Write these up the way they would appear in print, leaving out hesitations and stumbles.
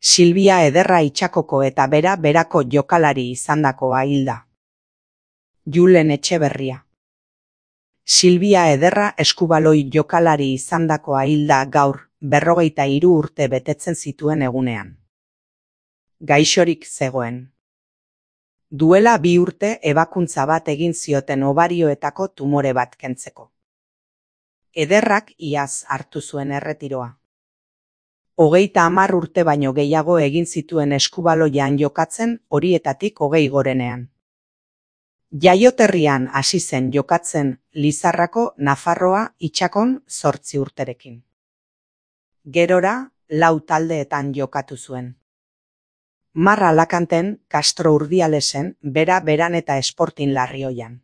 Silvia Ederra Itxakoko eta berako jokalari izandakoa hilda. Julen Etxeberria. Silvia Ederra eskubaloi jokalari izandakoa hilda gaur, 43 urte betetzen zituen egunean. Gaixorik zegoen. Duela 2 urte ebakuntza bat egin zioten obarioetako tumore bat kentzeko. Ederrak iaz hartu zuen erretiroa. 30 urte baino gehiago egin zituen eskubaloian jokatzen, horietatik 20 gorenean. Jaioterrian hasi zen jokatzen Lizarrako Nafarroa Itxakon 8 urterekin. Gerora, 4 taldeetan jokatu zuen. Marra Alakanten, Castro Urdialesen, Beran eta Sporting Larrioian.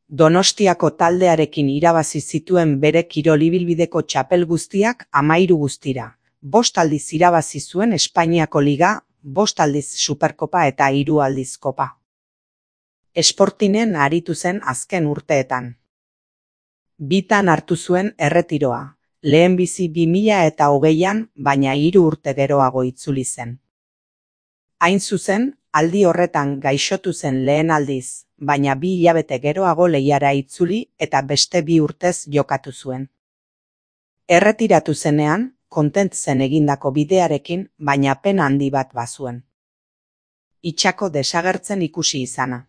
Donostiako taldearekin irabazi zituen bere kirol ibilbideko txapel guztiak 13 guztira. 5 aldiz irabazi zuen Espainiako Liga, 5 aldiz Superkopa eta 3 aldiz Kopa. Sportingen aritu zen azken urteetan. Bitan hartu zuen erretiroa, lehenbizi 2020an, baina 3 urte geroago itzuli zen. Hain zuzen, aldi horretan gaixotu zen lehen aldiz, baina 2 hilabete geroago lehiara itzuli eta beste 2 urtez jokatu zuen. Erretiratu zenean, kontent zen egindako bidearekin, baina pena handi bat bazuen. Itxako desagertzen ikusi izana.